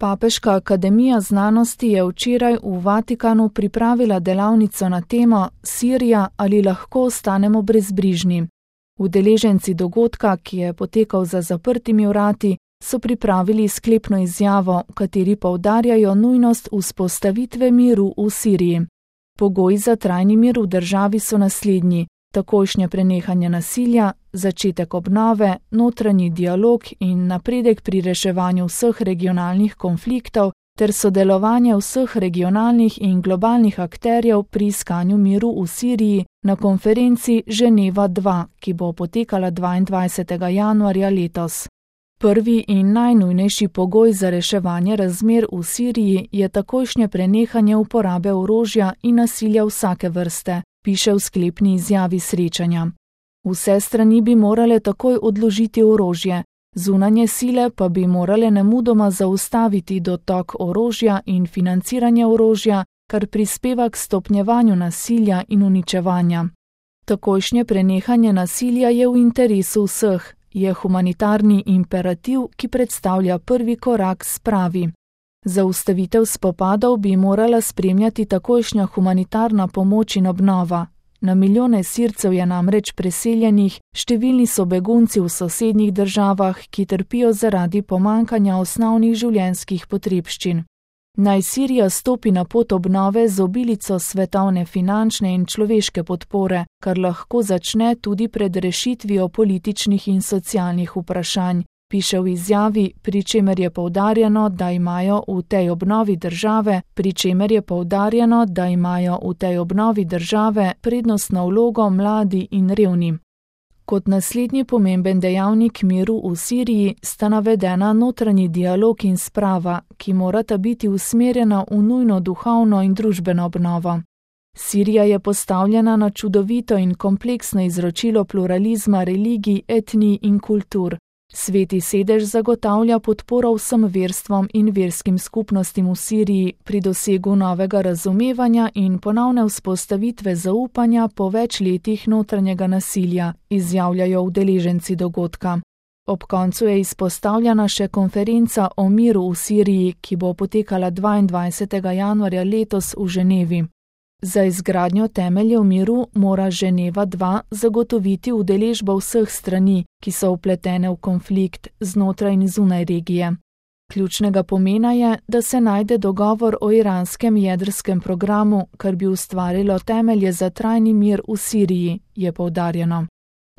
Papeška akademija znanosti je včeraj v Vatikanu pripravila delavnico na temo Sirija ali lahko ostanemo brezbrižni. Udeleženci dogodka, ki je potekal za zaprtimi vrati, so pripravili sklepno izjavo, v kateri poudarjajo nujnost vzpostavitve miru v Siriji. Pogoji za trajni mir v državi so naslednji: takojšnje prenehanje nasilja, začetek obnove, notranji dialog in napredek pri reševanju vseh regionalnih konfliktov ter sodelovanje vseh regionalnih in globalnih akterjev pri iskanju miru v Siriji na konferenci Ženeva 2, ki bo potekala 22. januarja letos. Prvi in najnujnejši pogoj za reševanje razmer v Siriji je takojšnje prenehanje uporabe orožja in nasilja vsake vrste, piše v sklepni izjavi srečanja. Vse strani bi morale takoj odložiti orožje, zunanje sile pa bi morale nemudoma zaustaviti dotok orožja in financiranje orožja, kar prispeva k stopnjevanju nasilja in uničevanja. Takojšnje prenehanje nasilja je v interesu vseh, je humanitarni imperativ, ki predstavlja prvi korak spravi. Zaustavitev spopadov bi morala spremljati takojšnja humanitarna pomoč in obnova. Na milijone Sircev je namreč preseljenih, številni so begunci v sosednjih državah, ki trpijo zaradi pomanjkanja osnovnih življenjskih potrebščin. Naj Sirija stopi na pot obnove z obilico svetovne finančne in človeške podpore, kar lahko začne tudi pred rešitvijo političnih in socialnih vprašanj, piše v izjavi, pri čemer je poudarjeno, da imajo v tej obnovi države prednostno vlogo mladi in revni. Kot naslednji pomemben dejavnik miru v Siriji sta navedena notranji dialog in sprava, ki morata biti usmerjena v nujno duhovno in družbeno obnovo. Sirija je postavljena na čudovito in kompleksno izročilo pluralizma religij, etnij in kultur. Sveti sedež zagotavlja podporo vsem verstvom in verskim skupnostim v Siriji pri dosegu novega razumevanja in ponovne vzpostavitve zaupanja po več letih notranjega nasilja, izjavljajo udeleženci dogodka. Ob koncu je izpostavljena še konferenca o miru v Siriji, ki bo potekala 22. januarja letos v Ženevi. Za izgradnjo temeljev miru mora Ženeva 2 zagotoviti udeležbo vseh strani, ki so vpletene v konflikt znotraj in zunaj regije. Ključnega pomena je, da se najde dogovor o iranskem jedrskem programu, kar bi ustvarilo temelje za trajni mir v Siriji, je poudarjeno.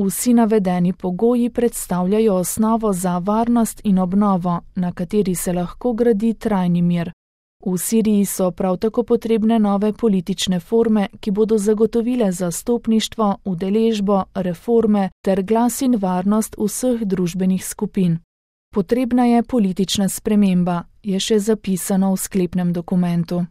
Vsi navedeni pogoji predstavljajo osnovo za varnost in obnovo, na kateri se lahko gradi trajni mir. V Siriji so prav tako potrebne nove politične forme, ki bodo zagotovile zastopništvo, udeležbo, reforme ter glas in varnost vseh družbenih skupin. Potrebna je politična sprememba, je še zapisano v sklepnem dokumentu.